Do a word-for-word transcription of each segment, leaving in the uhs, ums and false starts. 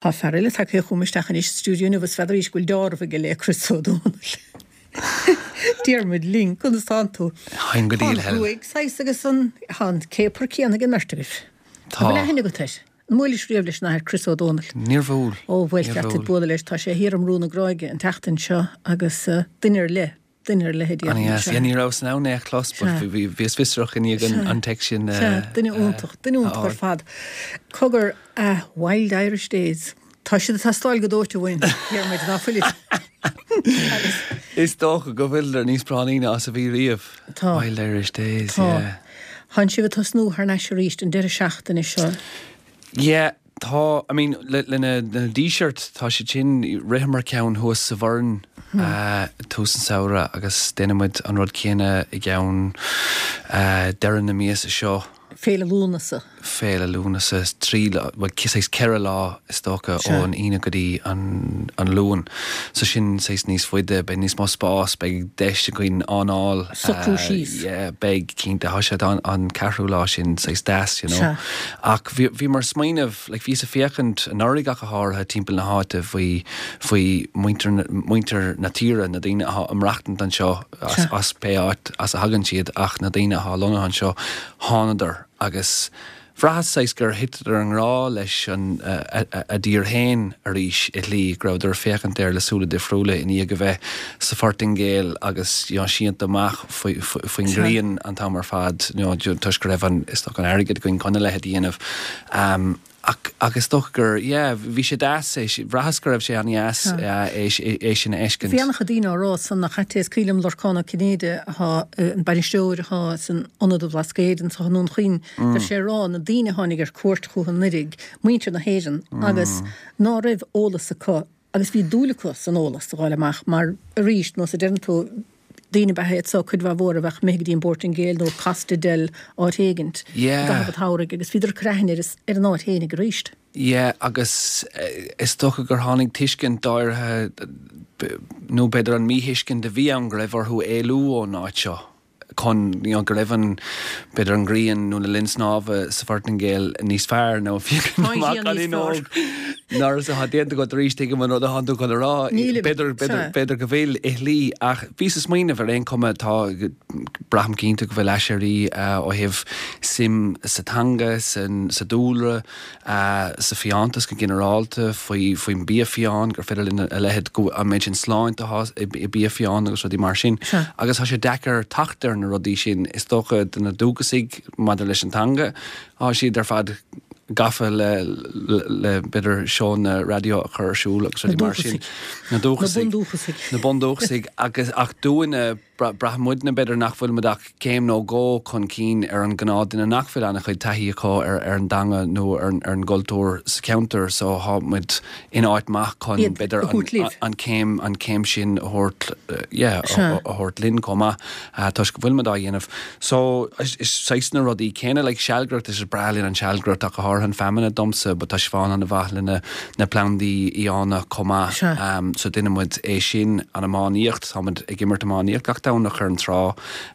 Tá fear eile tagtha chugam isteach anois sa stiúideo inniu is n'fheadar arís go bhfuil deáramh aige le Chris Ó Dónaill. Diarmuid linn, conas tánn tú? Táim go Tá diail, an Helen. ghruaig saghas agus an tá an céapar céanna ag an mbeirt agaibh. Tá. An bhfuil aithne agat air? An mbuailis riamh leis an Athair Chris Ó Dónaill? Níor bhuail. Ó bhuel Níor cheart duit bhuail. bualadh leis, tá sé thiar i mBrú na Gráige an tseachtain seo agus duine ar leith, duine ar leith a déarfainn. An-dheas. Sea. Yeah, ní rabhas in ann é a chlos, but Sea. bhí, bhí, bhíos fiosrach i ndiaidh an, Sea. an text sin, Sea, eh, duine iontach, duine a iontach ar fháil. fad. Cogar, ah, Wild Irish Days. Tá siad ag teastáil go dóite uainn, Diarmuid, ná fuilid? Agus Is dócha go bhfuileadar níos práinní ná is a bhí riamh. Tá. Wild Irish Days, Tá. yeah. Tánn sibh ag tosnú thar n-ais arís an deireadh seachtaine seo. Yeah, tá, I mean, le, le na, na Díseart, tá siad sin, ritheamar ceann thuas sa Bhoireann Hmm. uh, tús an samhradh agus déanfaimid an rud céanna i gceann uh, deireadh na míosa seo. Féile Lúnasa. Féile Lúnasa trí lá, well, saghas ceithre lá is dócha Sea. ón Aoine go dtí an, an Luan. So sin saghas níos faide, beidh níos mó spás, beidh deis againn anáil. Socrú uh, síos. Yeah, beidh cinnte, tá sé an, an ceathrú lá sin saghas deas, you know. Sea. Ach bhí, bhí mar smaoineamh, like, bhíos ag féachaint anuraidh ach go háirithe timpeall na háite faoi, faoi muintir, muintir na tíre, na daoine atá ag maireachtaint anseo as, Sea. as pé áit as a thagann siad ach na daoine atá lonnaithe anseo thánadar agus bhraitheas saghas gur thiteadar i ngrá leis an uh, a, a, a dtír féin arís i shlí go rabhadar ag féachaint air le súile difriúla i ndiaidh a bheith sa Phortaingéil agus you know, sínte amach faoi- faoi- faoin Sea. ngrian an t-am ar fad you know, toisc go raibh an is dócha an airgead againn chun a leithéid a dhéanamh. Um, ach agus dócha gur yeah, bhí sé deas é bhraitheas go raibh sé an-deas Sea. uh, é, é, é sin a fheiscint. Bhí an-chuid daoine á rá san nach ait é is cuimhin liom Lorcán Ó Cinnéide atá an bainisteoir atá san ionad an Bhlascaoid anseo i nDún Chaoin, Mm. Bhí sé ag rá na daoine a tháinig ar cuairt chucu anuraidh, muintir na hÉireann agus ná raibh eolas acu agus bhí dúil acu san eolas a fháil amach mar arís nó sa deireann tú daoine ab ea iad so cuid mhaith mhór a bheadh imithe go dtí an Phortaingéil nó Costa del áit éigint Yeah. i gcaitheamh an tsamhraidh agus bhíodar ag cur aithne ar ar an áit fhéinig arís. Yeah, agus eh, is dócha gur tháinig tuiscint áirithe b- nó b'fhéidir an míthuiscint a bhí ann go raibh orthu éalú ón áit seo chun you know, go raibh an b'fhéidir an ghrian nó na linn snámha sa Phortaingéil níos fearr nó Tá an ghrian níos fearr. Nar a déanta go arís tuigim an rud atá tú chun a rá Nílim, b'fhéidir b'fhéidir sea. b'fhéidir go bhfuil i shlí ach bhí sa smaoineamh ar aon chuma tá braithim cinnte go bhfuil aiséirí uh, ó thaobh suim sa teanga san sa dúlra uh, sa fiántas go ginearálta faoi faoin bia fiáin gur féidir linn a leithéid go an méid sin sláinte atá i i bia fiáin agus rudaí mar sin. Sea. Agus tá sé deacair teacht ar na rudaí sin is dócha do na dúchasaigh maidir leis an teanga, tá siad ar fad gafa le le, le b'fhéidir seónna raidió a chur ar siúl agus rudaí mar sin. Na dúchasaigh. Na bundúchasaigh. Na bundúchasaigh agus ach dúinne braithimidne b'fhéidir nach bhfuil muid ach céim nó dhó chun cinn ar an gnáthdhuine nach bhfuil an-chuid taithí acu ar ar an dteanga nó ar, ar an gcultúr sa cheantar so tá muid in áit maith chun Iad b'fhéidir a thabhairt an, libh. an céim an céim sin a thabhairt uh, yeah, Sea. a, a thabhairt linn chomh maith uh, toisc go bhfuil muid á dhéanamh. So is, is saghas na rudaí céanna like sealgaireacht is breá linn an sealgaireacht ach go háirithe an feamainn domsa, but tá sé fán an mhaith lena na plandaí fiáine chomh maith. Sea. Um, so déanaimid é sin an iománaíocht táimid ag imirt iománaíocht gach Domhnach ar an trá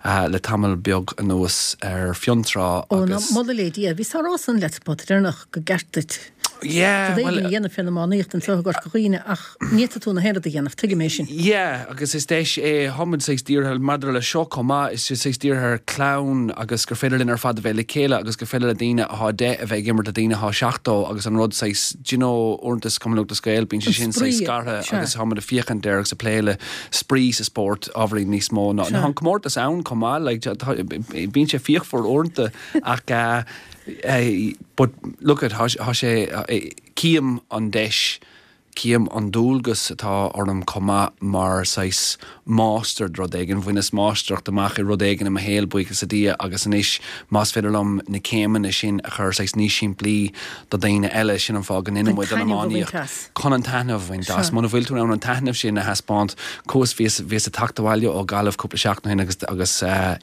uh, le tamall beag anuas ar Fionntrá Ó na agus moladh le Dia, bhí sá san leat pot déarnach go gceart duit. Yeah, Well, well, a dhéanamh fén iománaíocht anseo i gCorca Dhuibhne ach ní tú na héad a dhéanamh tuigim é sin. Yeah, agus is deis é táimid saghas dírithe maidir le seo chomh maith is sé saghas dírithe ar clann agus gur féidir linn ar fad a bheith le chéile agus gur féidir le daoine atá deich a bheith ag imirt le daoine atá seachtó agus an rud saghas do you know uaireanta sa Chumann Lúthchleas Gael bíonn sé An sin saghas spraoi, scartha sea. agus táimid ag féachaint air agus ag plé le spraoi sa spórt ábhairín níos mó ná Sea. ná an comórtas ann chomh maith like, tá- bíonn sé fíochmhar uaireanta ach uh, uh, but look at tá sé uh, cím an deis cím an dualgas atá orm chomh maith mar saghas máistir rud éigin, bhaineas máistreacht amach i rud éigin i mo shaol buíochas le Dia agus anois más féidir liom na céimeanna sin a chur saghas níos simplí do daoine eile sin an fáth go ndéanaimid An an taitneamh a bhaint iománaíocht. as. Chun an taitneamh a bhaint as. Sea. Muna bhfuil tú an an taitneamh sin a thaispeáint cos bhíos bhíos ag teacht abhaile ó Ghaillimh cúpla seachtain ó shin agus agus uh,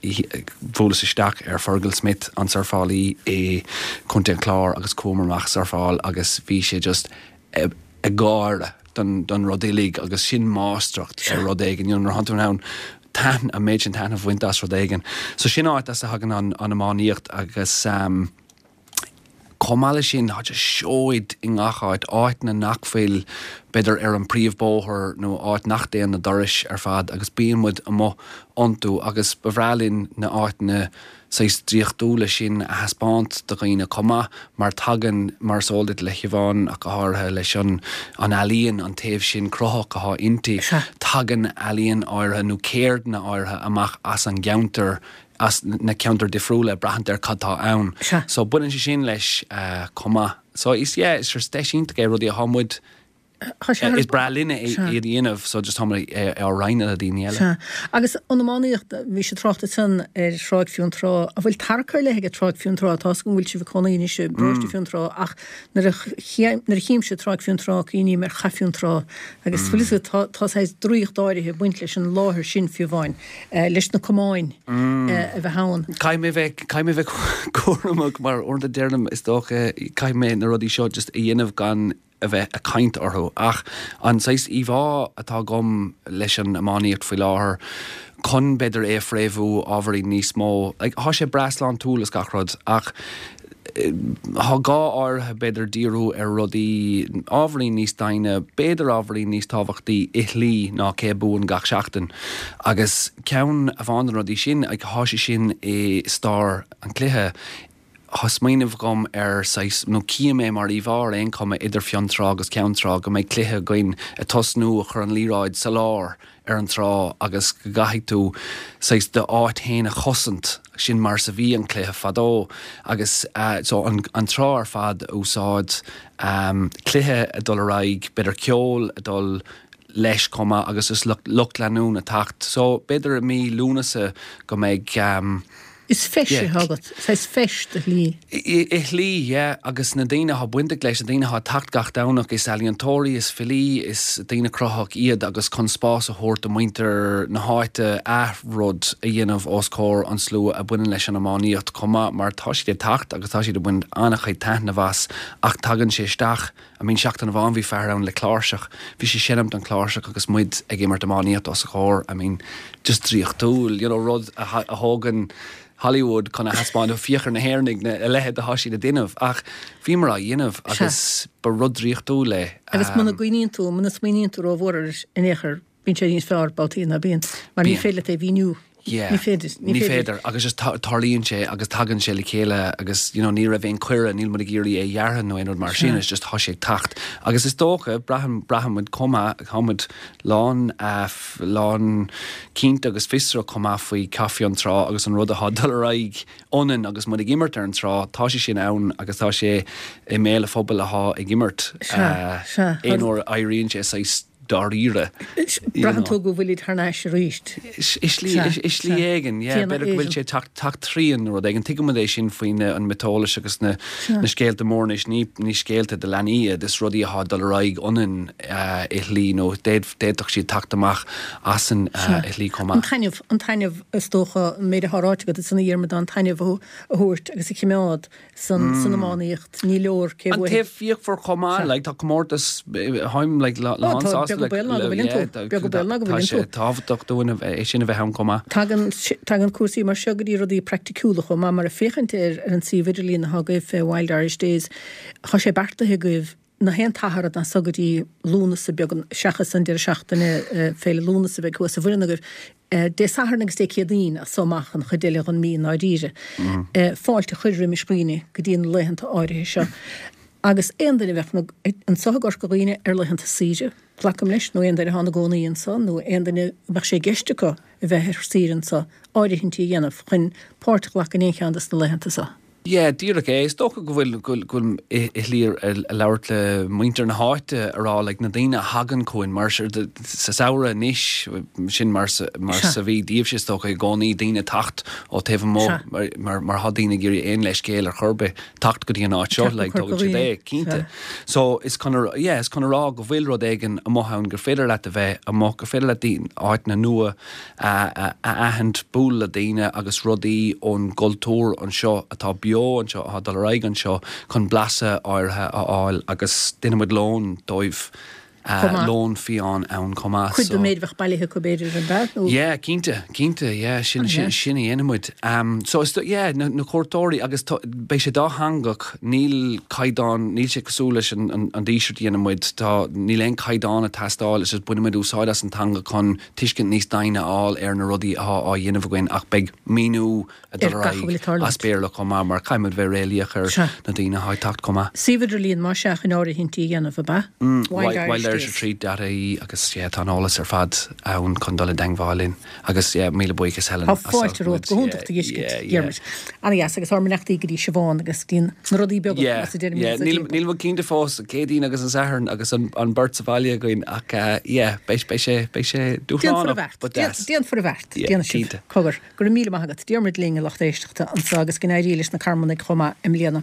bhuaileas isteach ar Fergal Smith an surfálaí i Contae an Chláir agus chuamar amach surfáil agus bhí sé just ag ag gáire don, don rud uilig agus sin máistreacht ar rud éigin you know, nuair atá tú ann taitn an méid sin taitneamh a bhaint as rud éigin. So sin áit as a thagann an, an iománaíocht agus um, Chomh maith leis sin, tá seoid i ngach áit, áiteanna nach bhfuil b'fhéidir ar an príomhbóthar nó áit nach dtéann na turais ar fad agus bíonn muid amuigh iontu agus ba bhreá linn na áiteanna saghas draíochtúla sin a thaispeáint do dhaoine chomh maith mar tagann mar is eol duit le Siobhán ach go háirithe leis an an ealaíon an taobh sin cruthaitheach atá inti tagann ealaíon áirithe nó ceirdeanna áirithe amach as an gceantar as na ceantair difriúla braithint ar cad tá ann. So baineann sé sin leis uh, chomh maith. So is yeah, is deis iontach é rudaí atá muid is breá linne iad a dhéanamh so just tá á roinnt le daoine eile. Agus an iománaíocht bhí sé tráchta san ar Thráigh Fionntrá an bhfuil tarrac ar leith ag Tráigh Fionntrá tá go bhfuil sibh cónaí anois i bparóiste Fionntrá ach nuair a chímse Tráigh Fionntrá cuimhním ar Chath Fionntrá agus bhfuil tá tá draíocht áirithe baint leis an láthair sin fiú amháin leis na camáin a bheith ann. Caithfidh mé bheith caithfidh mé bheith cúramach mar uaireanta deirim is dócha caithfidh mé na rudaí seo just a dhéanamh gan a bheith ag caint orthu ach an saghas íomhá atá agam leis an iománaíocht faoi láthair chun b'fhéidir é a fréamhú ábhairín níos mó like, tá sé breá sláintiúil is gach rud ach Tá gá áirithe b'fhéidir díriú ar rudaí ábhairín níos doimhne, b'fhéidir ábhairín níos tábhachtaí i shlí ná cé a bhuann gach seachtain. Agus ceann amháin de na rudaí sin, like, tá sé sin i stair an chluiche, Tá smaoineamh agam ar saghas, nó cím é mar íomhá ar aon chuma idir Fionntrá agus Ceann Trá, go mbeidh cluiche againn ag tosnú a chur an liathróid sa lár ar an trá agus go gcaithfidh tú saghas d'áit féin a chosaint, sin mar is a bhí an cluiche fadó agus so an an trá ar fad a úsáid, cluiche ag dul ar aghaidh, b'fhéidir ceol ag dul leis chomh maith agus is lucht leanúna ag teacht. So b'fhéidir i mí Lúnasa go mbeidh. Is feis atá agat, saghas feis i shlí. I shlí, yeah, agus na daoine atá bainteach leis, na daoine atá ag teacht gach Domhnach, is ealaíontóirí, is filí, is daoine cruthaitheach iad agus chun spás a thabhairt do mhuintir na háite rud a dhéanamh os comhair an slua a bhaineann leis an iománaíocht chomh maith mar tá siad ag teacht agus tá siad ag baint an-chuid taitneamh as ach tagann sé isteach I mean seachtain amháin bhí fear ann le cláirseach, bhí sé ag seinm an chláirseach agus muid ag imirt iománaíocht os a chomhair, I mean just draíochtúil, you know, rud a thógann Hollywood chun a thaispeáint, féach ar na hÉireannaigh, na, a leithéid atá siad ag déanamh ach bhíomar á dhéanamh agus ba rud draíochtúil é. Agus muna gcuimhníonn tú, muna smaoiníonn tú rómhór air in aon chor, bíonn sé níos fearr babhtaí ná bíonn, mar ní féidir leat é a mhíniú. Yeah. Ní féidir. Ní féidir agus just tarlaíonn sé agus tagann sé le chéile agus you know, ní raibh aon cuireadh, níl muid ag iarraidh é a dhearadh nó aon rud mar sin, it's just tá sé ag teacht. Agus is dócha, braithim, braithim muid chomh maith, tá muid lán, uh, lán cinnte agus fiosrach chomh maith faoi Chath Fionntrá agus an rud atá ag dul ar aghaidh ionainn agus muid ag imirt ar an trá, tá sé sin ann agus tá sé i mbéal an phobail atá ag imirt. Sea, sea. Aon uair a éiríonn sé saghas dáiríre. Braitheann tú go bhfuilid thar n-ais arís. I slí éigin, yeah. B'fhéidir go bhfuil sé ag teacht tríinn nó rud éigin. Tuigimid é sin faoi an miotaseolaíocht agus na scéalta móra anois. Ní ní scéalta do leanaí iad, is rudaí atá ag dul ar aghaidh ionainn i shlí nó d'fhéadfadh siad teacht amach asainn i shlí chomh maith. An taitneamh, an taitneamh is dócha, an méid atá ráite agat ansan a Dhiarmuid, an taitneamh a thabhairt agus a choimeád san san iománaíocht. Ní leor cé An taobh fíochmhar chomh maith, like, tá comórtas, táim like lán sásta le, yeah, tá sé tábhachtach dúinn é sin a bheith ann chomh maith. Tagann tagann cúrsaí mar seo go dtí rudaí praiticiúla chomh maith mar ag féachaint ar ar an suíomh idirlín atá agaibh fé Wild Irish Days, tá sé beartaithe agaibh nach aon tSatharn as so go dtí Lúnasa beag seachas an deireadh seachtaine Féile Lúnasa a bheidh thuas sa Bhoireann agaibh, Dé Sathairn agus Dé Céadaoin as so amach an chuid eile den mhí i ndáiríre. Fáilte a chur roimis dhaoine go dtí na laethanta áirithe seo. Agus aon duine a bheadh anso i gCorca Dhuibhne ar laethanta saoire, glacaim leis, nó aon duine atá ina gcónaí anso, nó aon duine a mbeadh sé i gceist acu a bheith ar saoire anso, áirithintí a dhéanamh chun páirt a ghlacadh in aon cheann de na laethanta so. Yeah, díreach é. Is dócha go bhfuil, go bhfuil i shlí ag labhairt le muintir na háite a rá like na daoine a thagann chugainn mar sa samhradh anois, sin mar mar a bhí daoibhse is dócha i gcónaí, daoine ag teacht ó taobh amuigh mar mar tá daoine ag iarraidh aon leithscéal ar chor ar bith teacht go dtí an áit seo like tógann siad é, cinnte. So is chun a, yeah, is chun a rá go bhfuil rud éigin amuigh ann gur féidir leat a bheith amuigh, gur féidir leat áiteanna nua a aithint, bualadh le daoine agus rudaí ón gcultúr anseo atá beo anseo, atá ag dul ar aghaidh anseo chun blaiseadh áirithe a fháil agus déanfaidh muid lón dóibh Lón fiáin ann chomh maith. Cuid den méid a bheadh bailithe acu b'fhéidir an ea? Nó. Yeah, cinnte, cinnte, yeah, sin, sin, sin a dhéanfaidh muid. Um, so is, yeah, na, na cuairteoirí agus tá, beidh sé dátheangach, níl caighdeán, níl sé cosúil leis an, an, an díseart a dhéanann muid, tá, níl aon caighdeán ag teastáil, is just bainfidh muid úsáid as an teanga chun tuiscint níos doimhne a fháil ar na rudaí atá á dhéanamh againn ach beidh míniú ag dul ar aghaidh as Béarla chomh maith mar caithfidh muid bheith réalaíoch ar na daoine atá ag teacht chomh maith. Suíomh idirlín más ea chun áirithintí a dhéanamh, ab ea? Wild Irish Retreat dot ie agus yeah tá an eolas ar fad ann chun dul i dteangmháil linn agus yeah míle buíochas Helen Tá fáilte romhat, go hiontach do fheiscint, Diarmuid. Ana-dheas agus ár mbeannachtaí go dtí Siobhán agus go dtí na rudaí beaga Yeah, as a deirim yeah, iad sa níl timpeall. níl muid cinnte fós, Céadaoin agus an Satharn agus an an beirt sa bhaile againn ach yeah beidh beidh sé beidh sé Déanfar dúshlánach a bheart, but deas. déanfar a bheart, Yeah, déanfaidh sibh. cinnte. Cogar, go raibh míle maith agat. Diarmuid linn, a lucht éisteachta, anseo agus go n-éirí leis na Carmannaigh chomh maith i mbliana.